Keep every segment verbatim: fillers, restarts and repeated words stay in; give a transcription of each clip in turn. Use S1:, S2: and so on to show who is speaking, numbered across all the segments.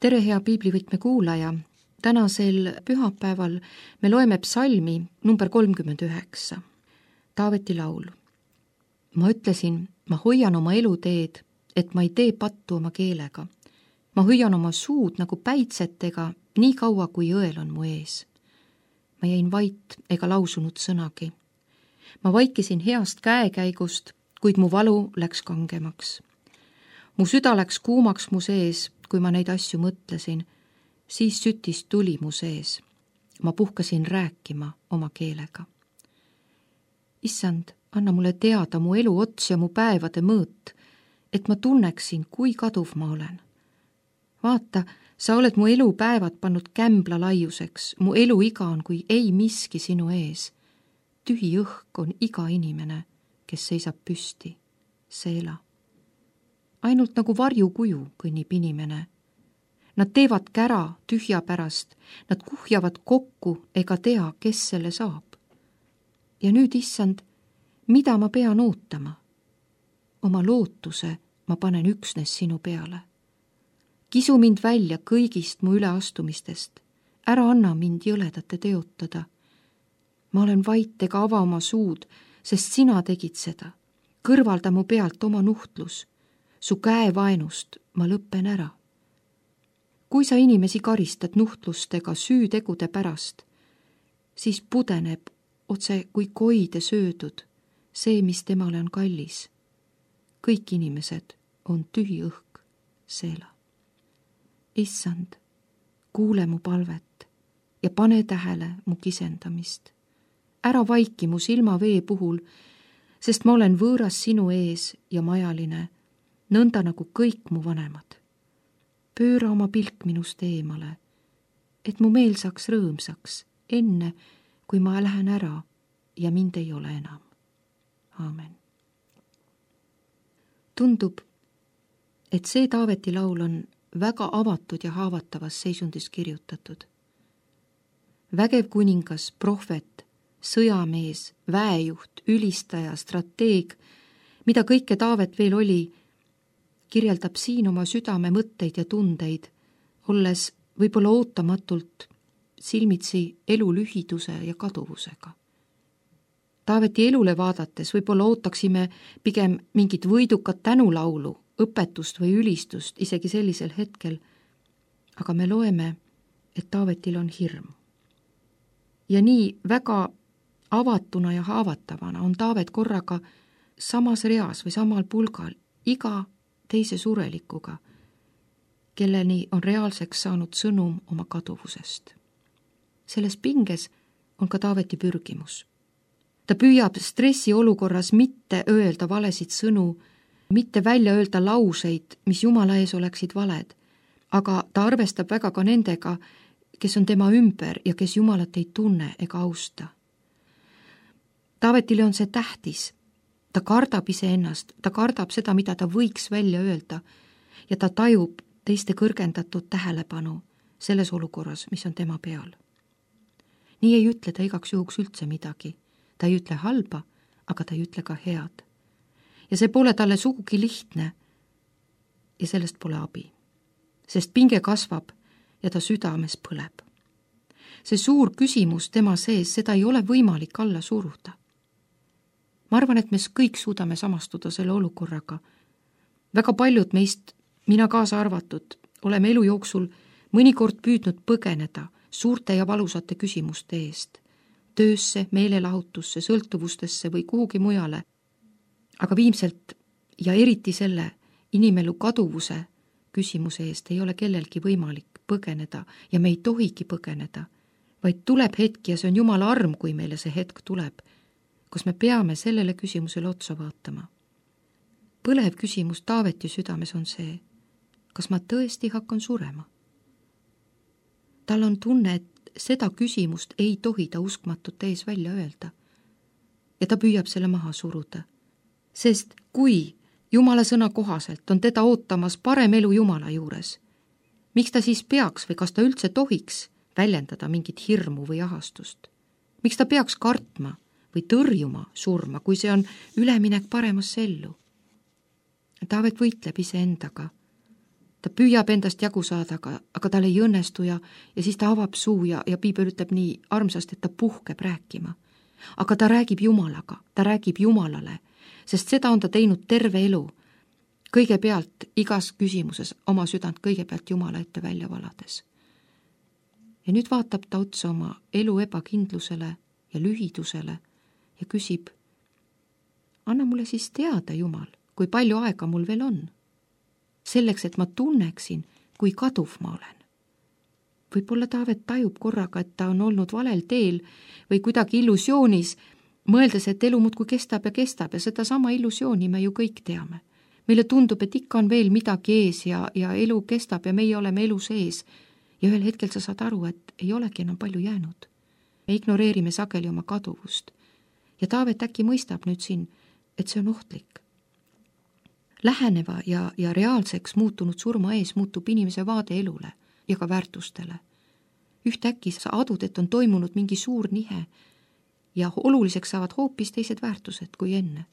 S1: tere, hea piiblivõtme kuulaja! Tänasel pühapäeval me loeme psalmi number kolmkümmend üheksa, Taaveti laul. Ma ütlesin, ma hoian oma eluteed, et ma ei tee pattu oma keelega. Ma hoian oma suud nagu päitsetega, nii kaua kui õel on mu ees. Ma jäin vait ega lausunud sõnagi. Ma vaikisin heast käekäigust, kuid mu valu läks kangemaks. Mu süda läks kuumaks mu sees, kui ma neid asju mõtlesin, siis sütis tuli mu sees. Ma puhkasin rääkima oma keelega. Issand, anna mulle teada mu elu ots ja mu päevade mõõt, et ma tunneksin, kui kaduv ma olen. Vaata, sa oled mu elupäevad pannud kämbla laiuseks, mu elu iga on kui ei miski sinu ees. Tühi õhk on iga inimene, kes seisab püsti, seela. Ainult nagu varjukuju kõnnib inimene. Nad teevad kära tühja pärast, nad kuhjavad kokku ega tea, kes selle saab. Ja nüüd, issand, mida ma pean ootama? Oma lootuse ma panen üksnes sinu peale. Kisu mind välja kõigist mu üleastumistest, ära anna mind jõledate teotada. Ma olen vait ega ava oma suud, sest sina tegid seda. Kõrvalda mu pealt oma nuhtlus, su käe vaenust ma lõppen ära. Kui sa inimesi karistad nuhtlustega süütegude pärast, siis pudeneb otse kui koide söödud see, mis temale on kallis. Kõik inimesed on tühi õhk, seela. Issand, kuule mu palvet ja pane tähele mu kisendamist. Ära vaiki mu silmavee puhul, sest ma olen võõras sinu ees ja majaline, nõnda nagu kõik mu vanemad. Pööra oma pilk minust eemale, et mu meel saaks rõõmsaks, enne kui ma lähen ära ja mind ei ole enam. Aamen. Tundub, et see Taaveti laul on väga avatud ja haavatavas seisundis kirjutatud. Vägev kuningas, prohvet, sõjamees, väejuht, ülistaja, strateeg, mida kõike Taavet veel oli, kirjeldab siin oma südame mõtteid ja tundeid, olles võib-olla ootamatult silmitsi elu lühiduse ja kaduvusega. Taaveti elule vaadates võib-olla ootaksime pigem mingit võidukat tänulaulu, õpetust või ülistust isegi sellisel hetkel, aga me loeme, et Taavetil on hirm. Ja nii väga avatuna ja haavatavana on Taavet korraga samas reas või samal pulgal iga teise surelikuga, kelleni on reaalseks saanud sõnum oma kaduvusest. Selles pinges on ka Taaveti pürgimus. Ta püüab stressi olukorras mitte öelda valesid sõnu, mitte välja öelda lauseid, mis Jumala ees oleksid valed, aga ta arvestab väga ka nendega, kes on tema ümber ja kes Jumalat ei tunne ega austa. Taavetile on see tähtis. Ta kardab iseennast, ta kardab seda, mida ta võiks välja öelda ja ta tajub teiste kõrgendatud tähelepanu selles olukorras, mis on tema peal. Nii ei ütle ta igaks juhuks üldse midagi. Ta ei ütle halba, aga ta ei ütle ka head. Ja see pole talle sugugi lihtne ja sellest pole abi, sest pinge kasvab ja ta südames põleb. See suur küsimus tema sees, seda ei ole võimalik alla suruda. Ma arvan, et me kõik suudame samastuda selle olukorraga. Väga paljud meist, mina kaasa arvatud, oleme elu jooksul mõnikord püüdnud põgeneda suurte ja valusate küsimuste eest, töösse, meelelahutusse, sõltuvustesse või kuhugi mujale. Aga viimselt ja eriti selle inimelu kaduvuse küsimuse eest ei ole kellelgi võimalik põgeneda ja me ei tohigi põgeneda, vaid tuleb hetk ja see on Jumala arm, kui meile see hetk tuleb, kus me peame sellele küsimusele otsa vaatama. Põlev küsimus Taaveti südames on see, kas ma tõesti hakkan surema? Tal on tunne, et seda küsimust ei tohi ta uskmatute ees välja öelda. Ja ta püüab selle maha suruda. Sest kui Jumala sõna kohaselt on teda ootamas parem elu Jumala juures, miks ta siis peaks või kas ta üldse tohiks väljendada mingit hirmu või ahastust? Miks ta peaks kartma või tõrjuma surma, kui see on üleminek paremasse ellu? Taavet võitleb iseendaga. ta püüab endast jagu saada, aga, aga tal ei õnnestu ja, ja siis ta avab suu ja, ja piibel ütleb nii armsasti, et ta puhkeb rääkima. Aga ta räägib Jumalaga, ta räägib Jumalale, sest seda on ta teinud terve elu. Kõigepealt igas küsimuses oma südant kõigepealt Jumala ette välja valades. Ja nüüd vaatab ta otsa oma elu ebakindlusele ja lühidusele ja küsib, anna mulle siis teada, Jumal, kui palju aega mul veel on. Selleks, et ma tunneksin, kui kaduv ma olen. Võib-olla Taavet tajub korraga, et ta on olnud valel teel või kuidagi illusioonis, mõeldes, et elu muudkui kestab ja kestab ja seda sama illusiooni me ju kõik teame. Meile tundub, et ikka on veel midagi ees ja, ja elu kestab ja meie oleme elu sees. Ja ühel hetkel sa saad aru, et ei olegi enam palju jäänud. Me ignoreerime sageli oma kaduvust. Ja Taavet äkki mõistab nüüd siin, et see on ohtlik. Läheneva ja, ja reaalseks muutunud surma ees muutub inimese vaade elule ja ka väärtustele. Ühtäkki sa adud, et on toimunud mingi suur nihe ja oluliseks saavad hoopis teised väärtused kui enne.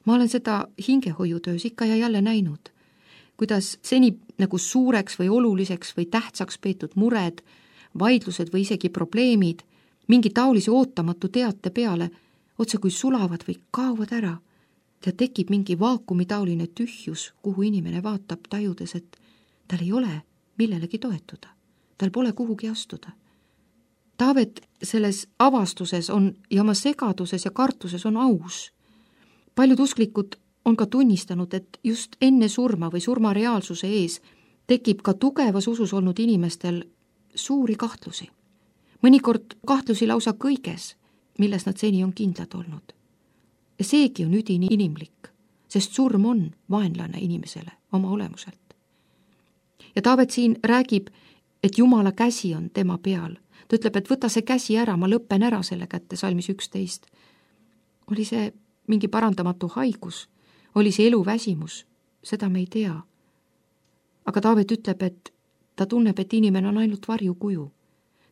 S1: Ma olen seda hingehoiutöös ikka ja jälle näinud, kuidas seni nagu suureks või oluliseks või tähtsaks peetud mured, vaidlused või isegi probleemid mingi taolise ootamatu teate peale otse kui sulavad või kaovad ära ja tekib mingi vaakumitaoline tühjus, kuhu inimene vaatab tajudes, et tal ei ole millelegi toetuda, tal pole kuhugi astuda. Taavet selles avastuses on ja oma segaduses ja kartuses on aus. Paljud usklikud on ka tunnistanud, et just enne surma või surma reaalsuse ees tekib ka tugevas usus olnud inimestel suuri kahtlusi. Mõnikord kahtlusi lausa kõiges, milles nad seni on kindlad olnud. Ja seegi on üdini inimlik, sest surm on vaenlane inimesele oma olemuselt. Ja Taavet siin räägib, et Jumala käsi on tema peal. Ta ütleb, et võta see käsi ära, ma lõppen ära selle kätte, salmis üksteist. Oli see mingi parandamatu haigus, oli see eluväsimus, seda me ei tea. Aga Taavet ütleb, et ta tunneb, et inimene on ainult varjukuju.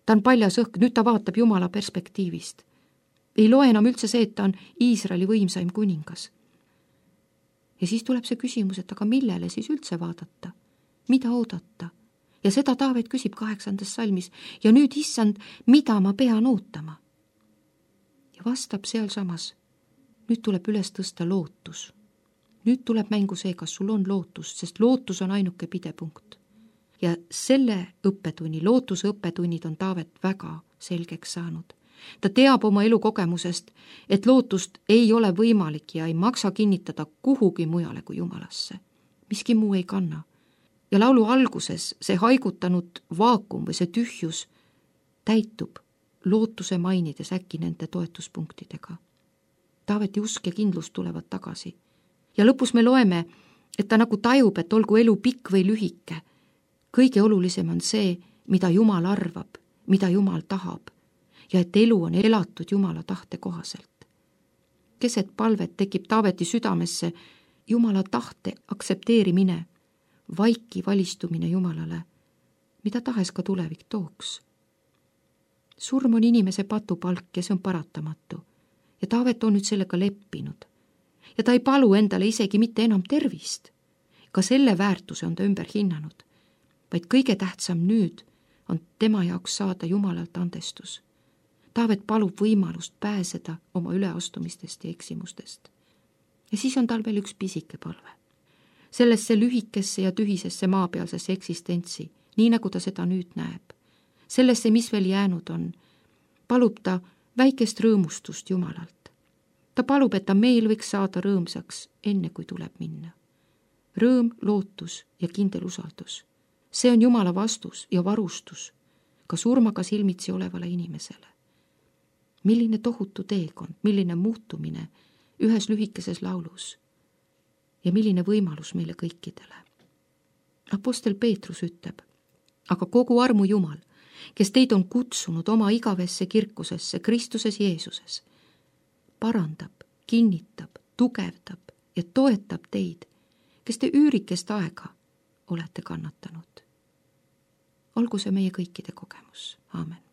S1: Ta on paljas õhk, nüüd ta vaatab Jumala perspektiivist. Ei loe enam üldse see, et ta on Iisraeli võimsaim kuningas. Ja siis tuleb see küsimus, et aga millele siis üldse vaadata? Mida oodata? Ja seda Taavet küsib kaheksandas salmis. Ja nüüd, issand, mida ma pean ootama? Ja vastab seal samas. Nüüd tuleb üles tõsta lootus. Nüüd tuleb mängu see, kas sul on lootust, sest lootus on ainuke pidepunkt. Ja selle õppetunni, lootuse õppetunnid on Taavet väga selgeks saanud. Ta teab oma elukogemusest, et lootust ei ole võimalik ja ei maksa kinnitada kuhugi mujale kui Jumalasse. Miski muu ei kanna. Ja laulu alguses see haigutanud vaakum või see tühjus täitub lootuse mainides äkki nende toetuspunktidega. Taaveti usk ja kindlus tulevad tagasi. Ja lõpus me loeme, et ta nagu tajub, et olgu elu pikk või lühike. Kõige olulisem on see, mida Jumal arvab, mida Jumal tahab ja et elu on elatud Jumala tahte kohaselt. Keset palvet tekib Taaveti südamesse Jumala tahte aktsepteerimine, vaiki valistumine Jumalale, mida tahes ka tulevik tooks. Surm on inimese patupalk ja see on paratamatu ja Taavet on nüüd sellega leppinud. Ja ta ei palu endale isegi mitte enam tervist. Ka selle väärtuse on ta ümber hinnanud, vaid kõige tähtsam nüüd on tema jaoks saada Jumalalt andestus. Taavet palub võimalust pääseda oma üleastumistest ja eksimustest. Ja siis on tal veel üks pisike palve. Sellesse lühikesse ja tühisesse maapealsesse eksistentsi, nii nagu ta seda nüüd näeb. Sellesse, mis veel jäänud on, palub ta väikest rõõmustust Jumalalt. Ta palub, et ta meel võiks saada rõõmsaks enne, kui tuleb minna. Rõõm, lootus ja kindel usaldus. See on Jumala vastus ja varustus ka surmaga silmitsi olevale inimesele. Milline tohutu teekond, milline muutumine ühes lühikeses laulus ja milline võimalus meile kõikidele. Apostel Peetrus ütleb, aga kogu armu Jumal, kes teid on kutsunud oma igavesse kirkusesse Kristuses Jeesuses, parandab, kinnitab, tugevdab ja toetab teid, kes te üürikest aega olete kannatanud. Olgu see meie kõikide kogemus. Aamen.